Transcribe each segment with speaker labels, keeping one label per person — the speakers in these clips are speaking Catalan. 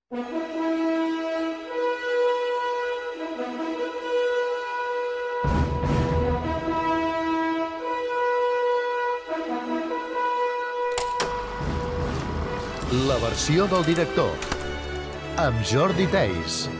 Speaker 1: La versió del director, amb Jordi Theis.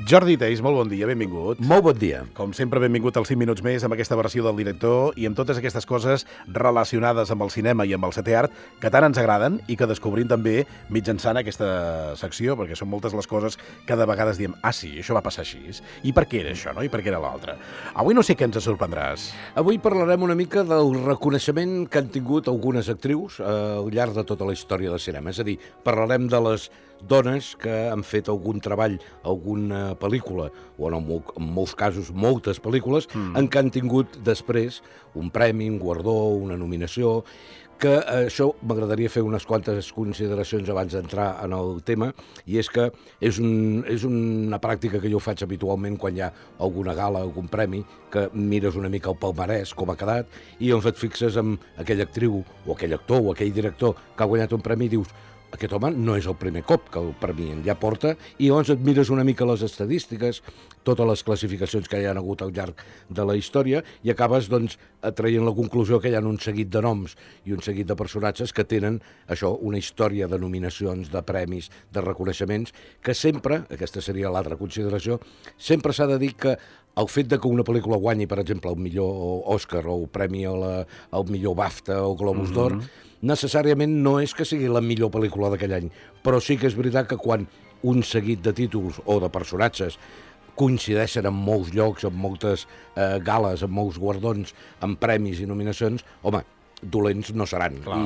Speaker 2: Jordi Theis, molt bon dia, benvingut.
Speaker 3: Molt bon dia.
Speaker 2: Com sempre, benvingut als 5 minuts més amb aquesta versió del director i amb totes aquestes coses relacionades amb el cinema i amb el setè art que tant ens agraden i que descobrim també mitjançant aquesta secció, perquè són moltes les coses que de vegades diem sí, això va passar així. I per què era això, no? I per què era l'altre? Avui no sé què ens sorprendràs.
Speaker 3: Avui parlarem una mica del reconeixement que han tingut algunes actrius al llarg de tota la història del cinema. És a dir, parlarem de les dones que han fet algun treball, alguna pel·lícula, o en molts casos moltes pel·lícules, en què han tingut després un premi, un guardó, una nominació, que això m'agradaria fer unes quantes consideracions abans d'entrar en el tema, i és que és una pràctica que jo faig habitualment quan hi ha alguna gala, algun premi, que mires una mica el palmarès, com ha quedat, i llavors et fixes en aquella actriu, o aquell actor, o aquell director que ha guanyat un premi i dius: aquest home no és el primer cop que el premien, ja porta, i llavors et mires una mica les estadístiques, totes les classificacions que hi ha hagut al llarg de la història, i acabes, doncs, traient la conclusió que hi ha un seguit de noms i un seguit de personatges que tenen, això, una història de nominacions, de premis, de reconeixements, que sempre, aquesta seria l'altra consideració, sempre s'ha de dir que el fet de que una pel·lícula guanyi, per exemple, el millor Òscar o el premi al millor BAFTA o Globus d'Or, necessàriament no és que sigui la millor pel·lícula d'aquell any, però sí que és veritat que quan un seguit de títols o de personatges coincideixen en molts llocs, en moltes gales, en molts guardons, en premis i nominacions, home, dolents no seran.
Speaker 2: Clar,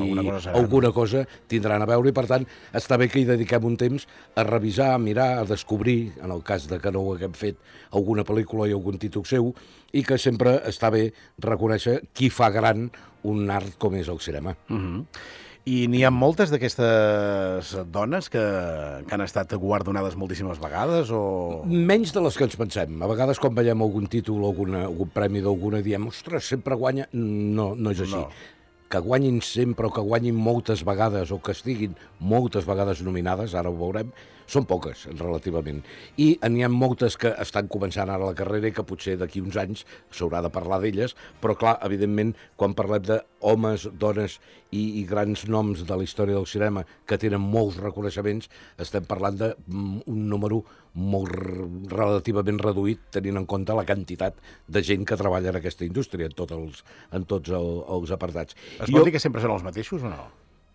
Speaker 3: alguna cosa tindran a veure, i per tant està bé que hi dediquem un temps a revisar, a mirar, a descobrir, en el cas de que no ho haguem fet, alguna pel·lícula i algun títol seu, i que sempre està bé reconèixer qui fa gran un art com és el cinema.
Speaker 2: I n'hi ha moltes d'aquestes dones que han estat guardonades moltíssimes vegades, o...?
Speaker 3: Menys de les que ens pensem. A vegades quan veiem algun títol o algun premi d'alguna diem: ostres, sempre guanya. No és així. No. Que guanyin sempre o que guanyin moltes vegades o que estiguin moltes vegades nominades, ara ho veurem, són poques, relativament. I n'hi ha moltes que estan començant ara la carrera i que potser d'aquí uns anys s'haurà de parlar d'elles, però clar, evidentment, quan parlem d'homes, dones i grans noms de la història del cinema que tenen molts reconeixements, estem parlant d'un número molt relativament reduït, tenint en compte la quantitat de gent que treballa en aquesta indústria, en tots els apartats.
Speaker 2: Es pot dir que sempre són els mateixos o no?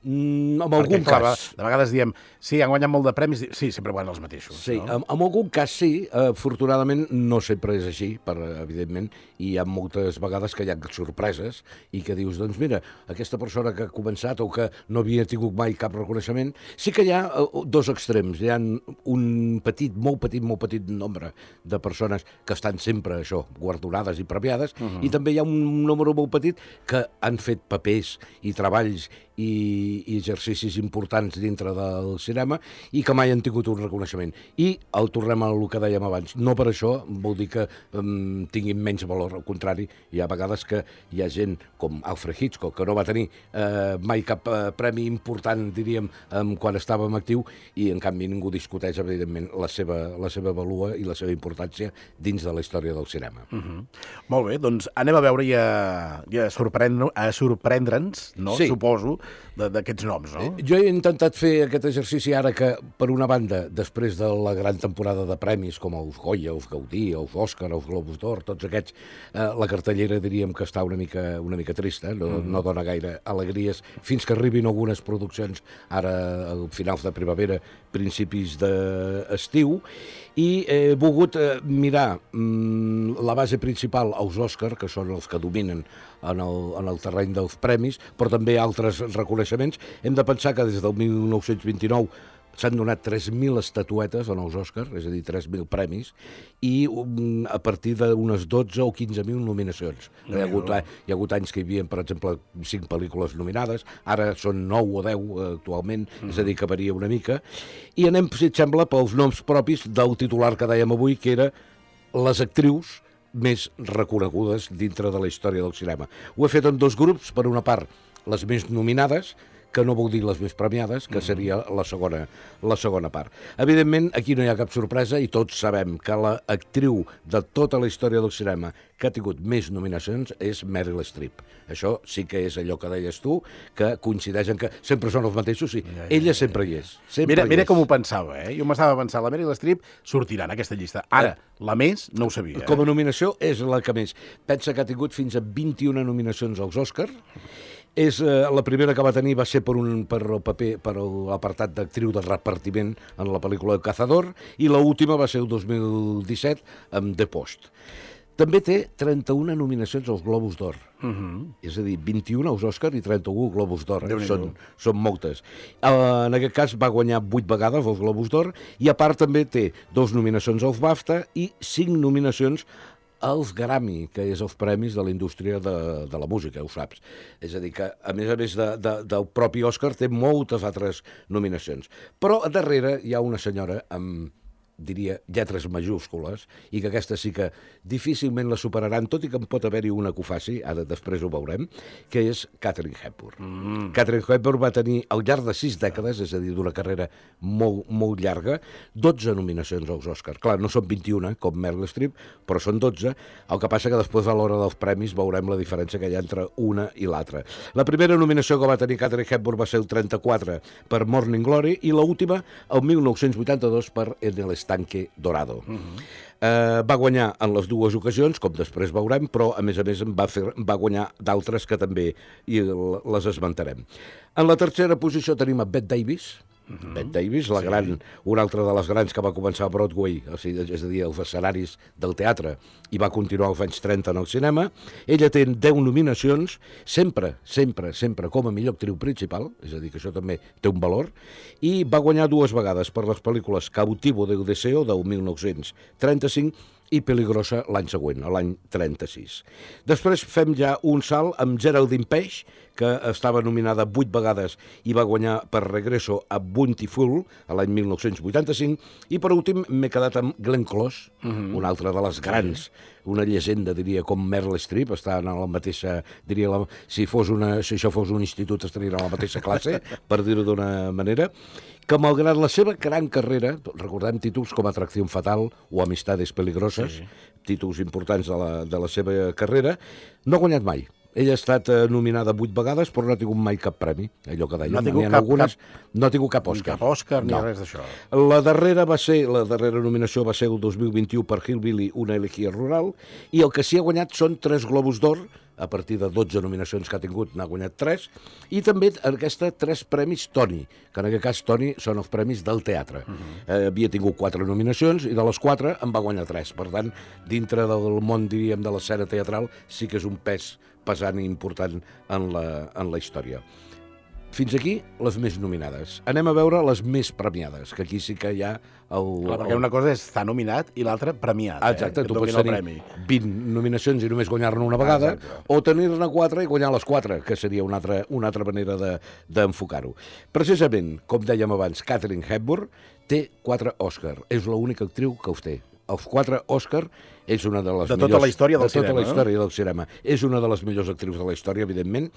Speaker 3: En algun cas.
Speaker 2: De vegades diem, sí, han guanyat molt de premis, sí, sempre guanyen els mateixos.
Speaker 3: Sí,
Speaker 2: no?
Speaker 3: En algun cas sí, afortunadament no sempre és així, evidentment, i hi ha moltes vegades que hi ha sorpreses i que dius, doncs mira, aquesta persona que ha començat o que no havia tingut mai cap reconeixement, sí que hi ha dos extrems. Hi ha un molt petit nombre de persones que estan sempre, això, guardonades i premiades, i també hi ha un número molt petit que han fet papers i treballs i exercicis importants dintre del cinema i que mai han tingut un reconeixement. I el tornem a el que dèiem abans. No per això vol dir que tinguin menys valor, al contrari, hi ha vegades que hi ha gent com Alfred Hitchcock, que no va tenir mai cap premi important, diríem, quan estava en actiu, i en canvi ningú discuteix, evidentment, la seva valua i la seva importància dins de la història del cinema.
Speaker 2: Molt bé, doncs anem a veure i a sorprendre'ns, no?
Speaker 3: Sí.
Speaker 2: Suposo, d'aquests noms, no?
Speaker 3: Jo he intentat fer aquest exercici ara que, per una banda, després de la gran temporada de premis com els Goya, els Gaudí, els Òscar, els Globus d'Or, tots aquests, la cartellera diríem que està una mica trista, no dona gaire alegries, fins que arribin algunes produccions ara al finals de primavera, principis d'estiu, i he volgut mirar la base principal als Òscar, que són els que dominen en el terreny dels premis, però també altres reconeixements. Hem de pensar que des del 1929 s'han donat 3.000 estatuetes en els Òscars, és a dir, 3.000 premis, i a partir d'unes 12 o 15.000 nominacions. Hi ha hagut anys que hi havia, per exemple, 5 pel·lícules nominades, ara són 9 o 10 actualment, és a dir, que varia una mica. I anem, si et sembla, pels noms propis del titular que dèiem avui, que era les actrius més reconegudes dintre de la història del cinema. Ho he fet en dos grups, per una part, les més nominades, que no vol dir les més premiades, que seria la segona part. Evidentment, aquí no hi ha cap sorpresa i tots sabem que l'actriu de tota la història del cinema que ha tingut més nominacions és Meryl Streep. Això sí que és allò que deies tu, que coincideixen que sempre són els mateixos i ella sempre hi és.
Speaker 2: Mira com ho pensava, Jo m'estava pensant, la Meryl Streep sortirà en aquesta llista. Ara, la més, no ho sabia.
Speaker 3: Com a nominació és la que més. Pensa que ha tingut fins a 21 nominacions als Òscar. La primera que va tenir va ser per l'apartat d'actriu de repartiment en la pel·lícula El Cazador, i l'última va ser el 2017 amb The Post. També té 31 nominacions als Globus d'Or. És a dir, 21 als Òscar i 31 Globus d'Or. Són moltes. En aquest cas va guanyar 8 vegades els Globus d'Or i a part també té 2 nominacions als BAFTA i 5 nominacions als Grammy, que és els premis de la indústria de la música, ho saps. És a dir, que a més del propi Òscar té moltes altres nominacions. Però a darrere hi ha una senyora amb, diria, lletres majúscules, i que aquesta sí que difícilment la superaran, tot i que en pot haver-hi una que ho faci, ara després ho veurem, que és Katharine Hepburn. Katharine Hepburn va tenir, al llarg de 6 dècades, és a dir, d'una carrera molt, molt llarga, 12 nominacions als Oscars. Clar, no són 21, com Meryl Streep, però són 12, el que passa que després a l'hora dels premis veurem la diferència que hi ha entre una i l'altra. La primera nominació que va tenir Katharine Hepburn va ser el 34 per Morning Glory i l'última el 1982 per En el Estanque Dorado. Va guanyar en les dues ocasions, com després veurem, però a més va guanyar d'altres que també les esmentarem. En la tercera posició tenim a Bette Davis. Bette Davis, una altra de les grans que va començar a Broadway, és a dir, els escenaris del teatre, i va continuar als anys 30 en el cinema. Ella té 10 nominacions, sempre com a millor actriu principal, és a dir, que això també té un valor, i va guanyar 2 vegades per les pel·lícules Cautivo del Deseo, del 1935, i Peligrosa l'any següent, l'any 36. Després fem ja un salt amb Geraldine Page, que estava nominada 8 vegades i va guanyar per Regreso a Bountiful l'any 1985, i per últim m'he quedat amb Glenn Close, una altra de les grans, una llegenda, diria, com Meryl Streep, està en la mateixa, diria, si això fos un institut estaria en la mateixa classe, per dir-ho d'una manera, que malgrat la seva gran carrera, recordem títols com Atracció Fatal o Amistades Peligroses, títols importants de la seva carrera, no ha guanyat mai. Ella ha estat nominada 8 vegades, però no ha tingut mai cap premi, allò que deia. No ha tingut cap Òscar.
Speaker 2: Cap Òscar ni res d'això.
Speaker 3: La darrera nominació va ser el 2021 per Hillbilly, una elegía rural, i el que sí ha guanyat són 3 Globus d'Or, a partir de 12 nominacions que ha tingut, n'ha guanyat 3, i també aquesta 3 premis Tony, que en aquest cas Tony són els premis del teatre. Havia tingut 4 nominacions i de les 4 en va guanyar 3. Per tant, dintre del món, diríem, de l'escena teatral, sí que és un pes pesant i important en la història. Fins aquí les més nominades. Anem a veure les més premiades, que aquí sí que hi ha
Speaker 2: perquè una cosa és estar nominat i l'altra premiat.
Speaker 3: Exacte, tu pots tenir 20 nominacions i només guanyar-ne una vegada, o tenir-ne 4 i guanyar les 4, que seria una altra manera d'enfocar-ho. Precisament, com dèiem abans, Katharine Hepburn té 4 Òscar. És l'única actriu que els té. Els 4 Òscar és una de les millors...
Speaker 2: De tota la història del cinema.
Speaker 3: De tota la història del cinema. És una de les millors actrius de la història, evidentment.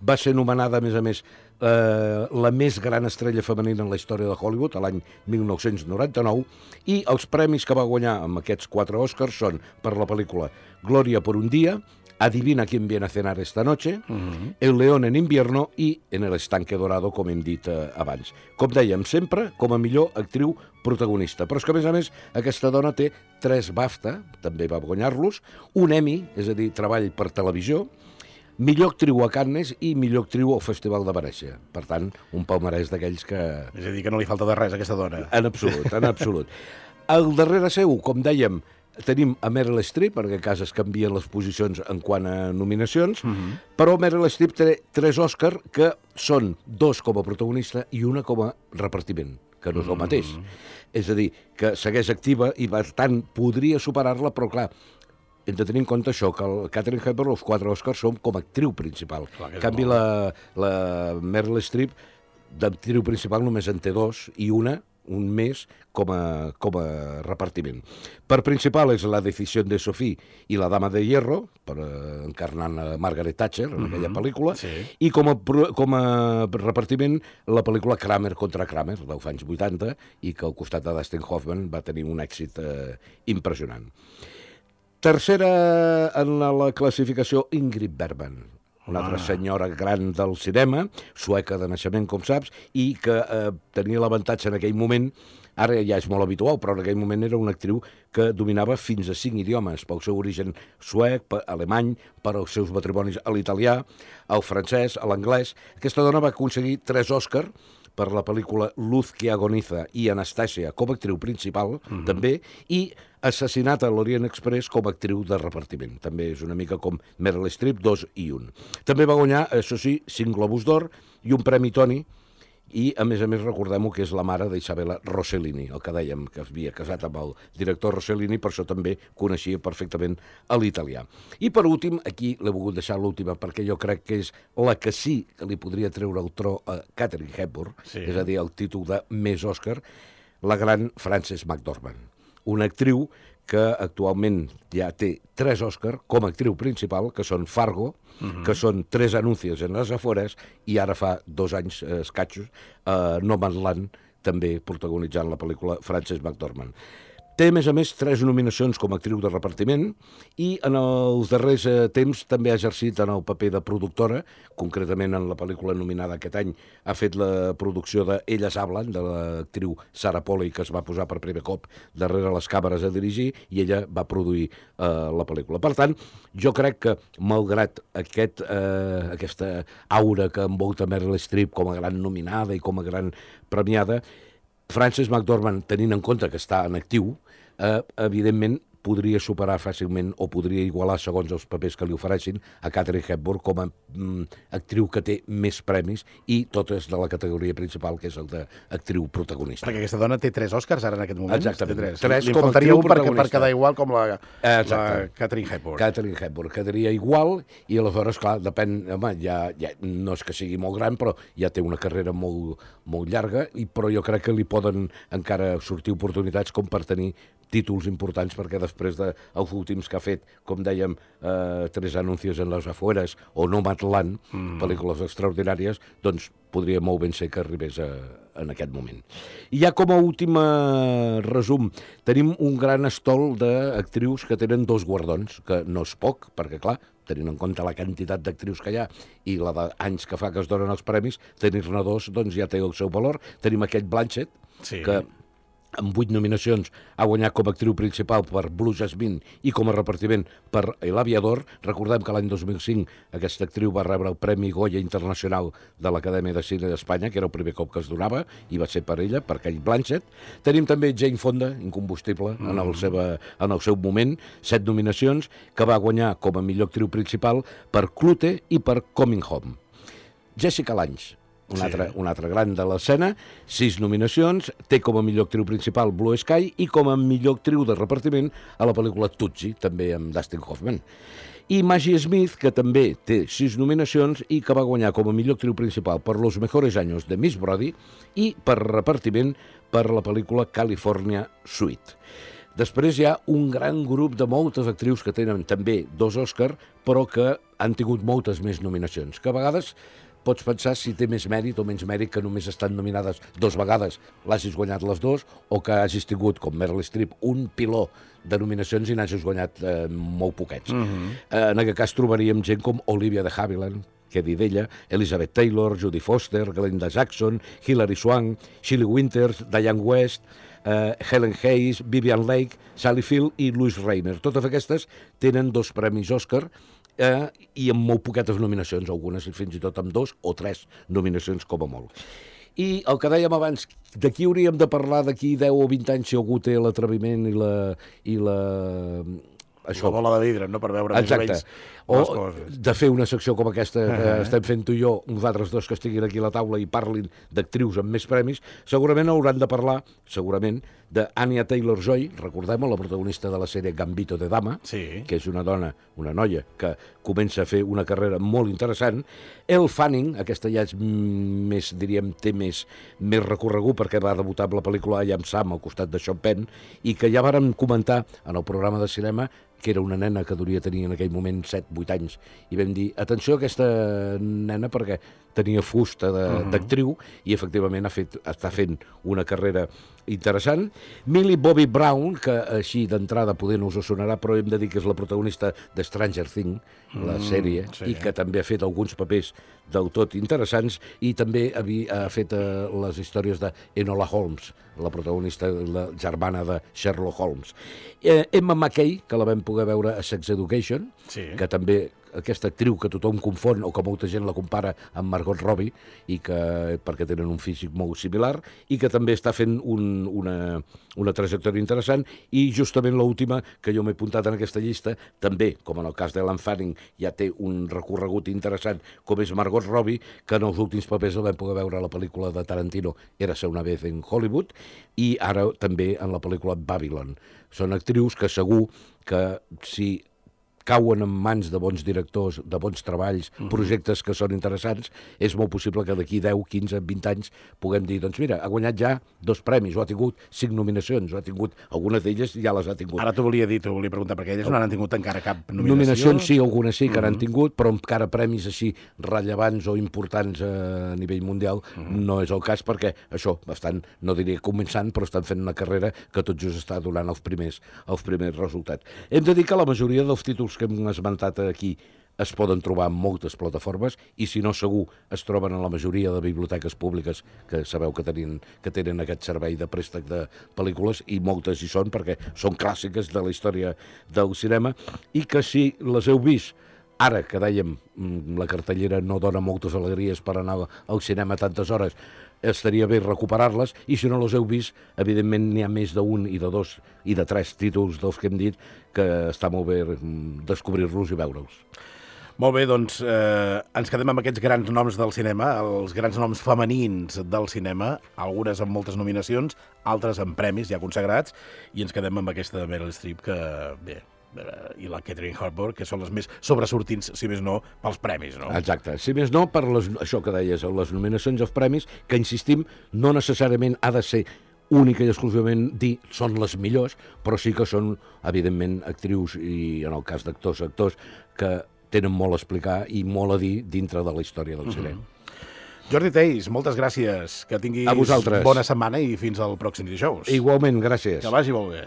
Speaker 3: Va ser nomenada, a més, la més gran estrella femenina en la història de Hollywood, l'any 1999, i els premis que va guanyar amb aquests 4 Òscars són per la pel·lícula Gloria por un día, Adivina quién viene a cenar esta noche, El león en invierno i En el estanque dorado, com hem dit abans. Com dèiem, sempre com a millor actriu protagonista. Però és que, a més, aquesta dona té 3 BAFTA, també va guanyar-los, un Emmy, és a dir, treball per televisió, millor actriu a Cannes i millor actriu al Festival de Venècia. Per tant, un palmarès d'aquells que...
Speaker 2: És a dir, que no li falta de res a aquesta dona.
Speaker 3: En absolut. Al darrere seu, com dèiem, tenim a Meryl Streep, en aquest cas es canvien les posicions en quant a nominacions, però Meryl Streep té 3 Òscar que són 2 com a protagonista i una com a repartiment, que no és el mateix. És a dir, que segueix activa i per tant podria superar-la, però clar, hem de tenir en compte això, que el Katharine Hepburn, els 4 Òscars són com a actriu principal. En canvi, la Meryl Streep d'actriu principal només en té 2 i una un més com a repartiment. Per principal és La decisió de Sophie i La dama de hierro, encarnant a Margaret Thatcher en aquella pel·lícula, i com a repartiment la pel·lícula Kramer contra Kramer, dels anys 80, i que al costat de Dustin Hoffman va tenir un èxit impressionant. Tercera en la classificació, Ingrid Bergman, una altra senyora gran del cinema, sueca de naixement, com saps, i que tenia l'avantatge en aquell moment, ara ja és molt habitual, però en aquell moment era una actriu que dominava fins a 5 idiomes, pel seu origen suec, alemany, per als seus matrimonis a l'italià, al francès, a l'anglès. Aquesta dona va aconseguir 3 Òscars per la pel·lícula Luz que agoniza i Anastàsia com a actriu principal, també, i Assassinat a l'Orient Express com a actriu de repartiment. També és una mica com Meryl Streep, 2 i 1. També va guanyar, això sí, 5 Globus d'Or i un Premi Tony, i a més recordem-ho que és la mare d'Isabella Rossellini, el que dèiem que havia casat amb el director Rossellini, per això també coneixia perfectament l'italià. I per últim, aquí l'he volgut deixar l'última perquè jo crec que és la que sí que li podria treure el tro a Katharine Hepburn, és a dir, el títol de més Òscar, la gran Frances McDormand, una actriu que actualment ja té 3 Òscars com a actriu principal, que són Fargo, que són 3 anúncies en les afores, i ara fa 2 anys escatxos, No Man's Land, també protagonitzant la pel·lícula Frances McDormand. Té, a més, 3 nominacions com a actriu de repartiment i en els darrers temps també ha exercit en el paper de productora, concretament en la pel·lícula nominada aquest any ha fet la producció de Elles hablan, de l'actriu Sarah Polley, que es va posar per primer cop darrere les càmeres a dirigir, i ella va produir la pel·lícula. Per tant, jo crec que, malgrat aquesta aura que envolta Meryl Streep com a gran nominada i com a gran premiada, Frances McDormand, tenint en compte que està en actiu, evidentment podria superar fàcilment o podria igualar, segons els papers que li ofereixin, a Katharine Hepburn com a actriu que té més premis, i totes de la categoria principal, que és el d'actriu protagonista.
Speaker 2: Perquè aquesta dona té 3 Òscars ara en aquest moment.
Speaker 3: Exactament.
Speaker 2: 3 li faltaria un per quedar igual com la Katharine Hepburn.
Speaker 3: Katharine Hepburn quedaria igual, i aleshores, clar, depèn, home, ja no és que sigui molt gran, però ja té una carrera molt llarga, però jo crec que li poden encara sortir oportunitats com per tenir títols importants, perquè després dels últims que ha fet, com dèiem, 3 anúncies en les afueres o No Man's Land, pel·lícules extraordinàries, doncs podria molt ben ser que arribés en aquest moment. I ja com a últim resum, tenim un gran estol d'actrius que tenen 2 guardons, que no és poc, perquè clar, tenint en compte la quantitat d'actrius que hi ha i la d'anys que fa que es donen els premis, tenir-ne 2 doncs ja té el seu valor. Tenim aquest Blanchett, que amb 8 nominacions ha guanyat com a actriu principal per Blue Jasmine i com a repartiment per l'Aviador. Recordem que l'any 2005 aquesta actriu va rebre el Premi Goya Internacional de l'Acadèmia de Cine d'Espanya, que era el primer cop que es donava, i va ser per ella, per Kate Blanchett. Tenim també Jane Fonda, incombustible, en el seu moment, 7 nominacions, que va guanyar com a millor actriu principal per Clute i per Coming Home. Jessica Lange, un altre gran de l'escena, 6 nominacions, té com a millor actriu principal Blue Sky i com a millor actriu de repartiment a la pel·lícula Tootsie, també amb Dustin Hoffman. I Maggie Smith, que també té 6 nominacions i que va guanyar com a millor actriu principal per Los Mejores Años de Miss Brody i per repartiment per la pel·lícula California Suite. Després hi ha un gran grup de moltes actrius que tenen també 2 Òscars, però que han tingut moltes més nominacions, que a vegades pots pensar si té més mèrit o menys mèrit que només estan nominades 2 vegades, l'hagis guanyat les 2, o que hagis tingut, com Meryl Streep, un piló de nominacions i n'hagis guanyat molt poquets. En aquest cas trobaríem gent com Olivia de Havilland, què dir d'ella, Elizabeth Taylor, Jodie Foster, Glenda Jackson, Hilary Swank, Shelley Winters, Diane West, Helen Hayes, Vivian Leigh, Sally Field i Louise Rayner. Totes aquestes tenen 2 premis Òscar i amb molt poquetes nominacions, algunes fins i tot amb 2 o 3 nominacions com a molt. I el que dèiem abans, d'aquí hauríem de parlar d'aquí 10 o 20 anys si algú té l'atreviment i la
Speaker 2: bola de vidre, no?, per veure més o menys les coses.
Speaker 3: De fer una secció com aquesta que estem fent tu i jo, nosaltres dos que estiguin aquí a la taula i parlin d'actrius amb més premis, segurament hauran de parlar, segurament, d'Anya Taylor-Joy, recordem-ho, la protagonista de la sèrie Gambito de Dama,
Speaker 2: Sí.
Speaker 3: que és una dona, una noia, que comença a fer una carrera molt interessant. Elle Fanning, aquesta ja és més, diríem, té més recorregut perquè va debutar amb la pel·lícula I Am Sam al costat de Sean Penn, i que ja vàrem comentar en el programa de cinema que era una nena que devia tenir en aquell moment 7-8 anys, i vam dir, atenció a aquesta nena perquè tenia fusta d'actriu i efectivament està fent una carrera interessant. Millie Bobby Brown, que així d'entrada poder no us sonarà, però hem de dir que és la protagonista de Stranger Things, la sèrie,
Speaker 2: sí.
Speaker 3: i que també ha fet alguns papers del tot interessants, i també ha fet les històries d'Enola Holmes, la protagonista, la germana de Sherlock Holmes. Emma Mackey, que la vam poder veure a Sex Education,
Speaker 2: Sí.
Speaker 3: que també aquesta actriu que tothom confon o que molta gent la compara amb Margot Robbie, i que perquè tenen un físic molt similar, i que també està fent una trajectòria interessant. I justament l'última que jo m'he apuntat en aquesta llista, també, com en el cas d'Ellen Fanning, ja té un recorregut interessant, com és Margot Robbie, que en els últims papers el vam poder veure a la pel·lícula de Tarantino Érase una vez en Hollywood, i ara també en la pel·lícula Babylon. Són actrius que segur que si cauen en mans de bons directors, de bons treballs, projectes que són interessants, és molt possible que d'aquí 10, 15, 20 anys puguem dir, doncs mira, ha guanyat ja 2 premis, o ha tingut 5 nominacions, o ha tingut, algunes d'elles ja les ha tingut.
Speaker 2: Ara t'ho volia preguntar, perquè elles no han tingut encara cap nominació.
Speaker 3: Nominacions sí, algunes sí que n'han tingut, però encara premis així rellevants o importants a nivell mundial no és el cas, perquè això, estan, no diria començant, però estan fent una carrera que tot just està donant els primers resultats. Hem de dir que la majoria dels títols que hem esmentat aquí es poden trobar en moltes plataformes, i si no segur es troben en la majoria de biblioteques públiques que sabeu que tenen aquest servei de préstec de pel·lícules, i moltes hi són perquè són clàssiques de la història del cinema, i que si les heu vist ara, que dèiem, la cartellera no dona moltes alegries per anar al cinema tantes hores, estaria bé recuperar-les, i si no les heu vist, evidentment n'hi ha més d'un i de 2 i de 3 títols dels que hem dit que està molt bé descobrir-los i veure'ls.
Speaker 2: Molt bé, doncs ens quedem amb aquests grans noms del cinema, els grans noms femenins del cinema, algunes amb moltes nominacions, altres amb premis ja consagrats, i ens quedem amb aquesta Meryl Streep que, bé, i la Catherine Hepburn, que són les més sobresortins, si més no, pels premis, no?
Speaker 3: Exacte. Si més no, per això que deies, les nominacions i els premis, que insistim, no necessàriament ha de ser única i exclusivament dir són les millors, però sí que són, evidentment, actrius i, en el cas d'actors, que tenen molt a explicar i molt a dir dintre de la història del cinema.
Speaker 2: Jordi Theis, moltes gràcies. Que tinguis
Speaker 3: a vosaltres.
Speaker 2: Bona setmana i fins al pròxim dijous.
Speaker 3: Igualment, gràcies.
Speaker 2: Que vagi molt bé.